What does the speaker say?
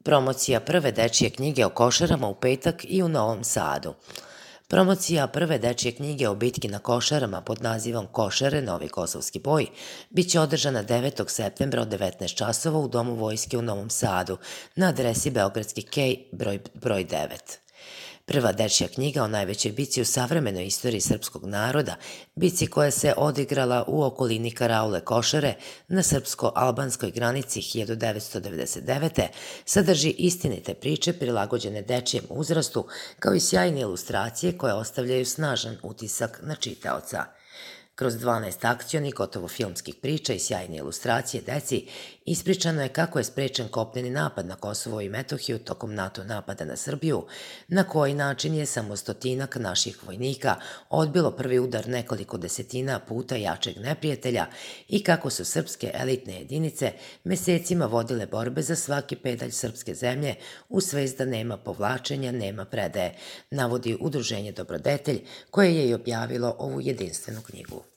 Promocija prve dečije knjige o Košarama u petak i u Novom Sadu. Promocija prve dečije knjige o bitki na Košarama pod nazivom Košare, Novi Kosovski boj biće održana 9. septembra od 19 časova u Domu vojske u Novom Sadu na adresi Beogradski kej broj 9. Prva dečja knjiga o najvećoj bici u savremenoj istoriji srpskog naroda, bici koja se odigrala u okolini Karaule Košare na srpsko-albanskoj granici 1999. sadrži istinite priče prilagođene dečijem uzrastu, kao i sjajne ilustracije koje ostavljaju snažan utisak na čitaoca. Kroz 12 akcionih, gotovo filmskih priča i sjajne ilustracije deci, ispričano je kako je sprečen kopneni napad na Kosovo i Metohiju tokom NATO napada na Srbiju, na koji način je samo 100 naših vojnika odbilo prvi udar nekoliko desetina puta jačeg neprijatelja i kako su srpske elitne jedinice mesecima vodile borbe za svaki pedalj srpske zemlje u svest da nema povlačenja, nema predaje, navodi Udruženje Dobrodetelj, koje je i objavilo ovu jedinstvenu knjigu.